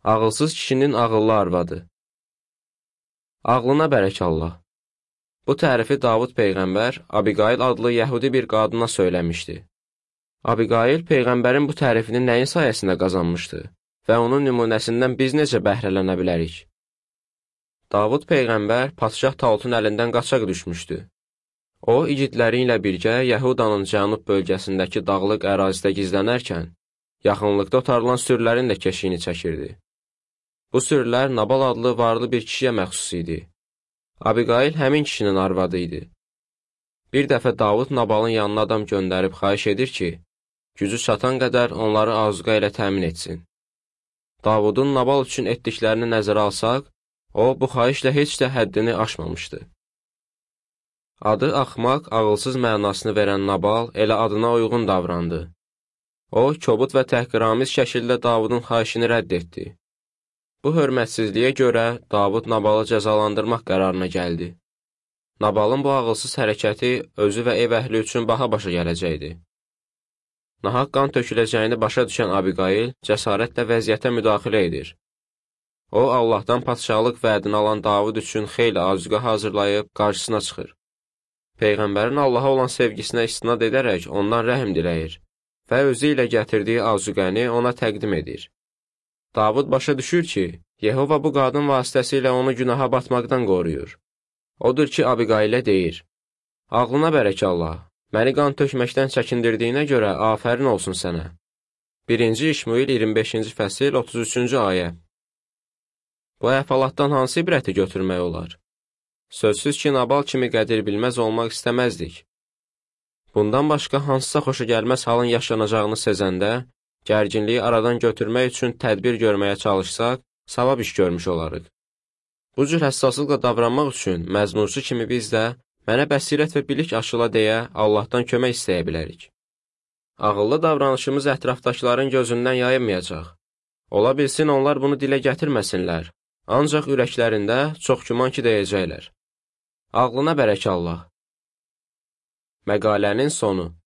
Ağılsız kişinin ağıllı arvadı. Ağlına bərək Allah. Bu tərifi Davud Peyğəmbər Abiqayıl adlı yəhudi bir qadına söyləmişdi. Abiqayıl Peyğəmbərin bu tərifini nəyin sayəsində qazanmışdı və onun nümunəsindən biz necə bəhrələnə bilərik? Davud Peyğəmbər padşah Talutun əlindən qaçaq düşmüşdü. O, igidləri ilə birgə Yəhudanın cənub bölgəsindəki dağlıq ərazidə gizlənərkən, yaxınlıqda otarılan sürülərin də keşiyini çəkirdi. Bu sürülər Nabal adlı varlı bir kişiyə məxsus idi. Abiqayıl həmin kişinin arvadı idi. Bir dəfə Davud Nabalın yanına adam göndərib xahiş edir ki, gücü çatan qədər onları azuqa ilə təmin etsin. Davudun Nabal üçün etdiklərini nəzərə alsaq, o, bu xahişlə heç də həddini aşmamışdı. Adı axmaq, ağılsız mənasını verən Nabal elə adına uyğun davrandı. O, kobud və təhqiramiz şəkildə Davudun xahişini rədd etdi. Bu hörmətsizliyə görə Davud Nabalı cəzalandırmaq qərarına gəldi. Nabalın bu ağılsız hərəkəti özü və ev əhli üçün baha başa gələcəkdi. Nahaq qan töküləcəyini başa düşən Abiqayıl cəsarətlə vəziyyətə müdaxilə edir. O, Allahdan padşahlıq vədini alan Davud üçün xeyli azuqa hazırlayıb qarşısına çıxır. Peyğəmbərin Allaha olan sevgisinə istinad edərək ondan rəhm diləyir və özü ilə gətirdiyi azuqəni ona təqdim edir. Davud başa düşür ki, Yehova bu qadın vasitəsilə onu günaha batmaqdan qoruyur. Odur ki, Abiqaylə deyir, ağlına bərək Allah, məni qan tökməkdən çəkindirdiyinə görə afərin olsun sənə. 1-ci İşmuil 25-ci fəsil 33-cü ayə. Bu əhvalatdan hansı ibrəti götürmək olar? Sözsüz ki, Nabal kimi qədir bilməz olmaq istəməzdik. Bundan başqa hansısa xoşa gəlməz halın yaşanacağını sezəndə, gərginliyi aradan götürmək üçün tədbir görməyə çalışsaq, savab iş görmüş olarıq. Bu cür həssaslıqla davranmaq üçün məzmurçu kimi biz də mənə bəsirət və bilik aşıla deyə Allahdan kömək istəyə bilərik. Ağıllı davranışımız ətrafdakıların gözündən yayınmayacaq. Ola bilsin onlar bunu dilə gətirməsinlər, ancaq ürəklərində çox güman ki deyəcəklər. Ağlına bərək Allah. Məqalənin sonu.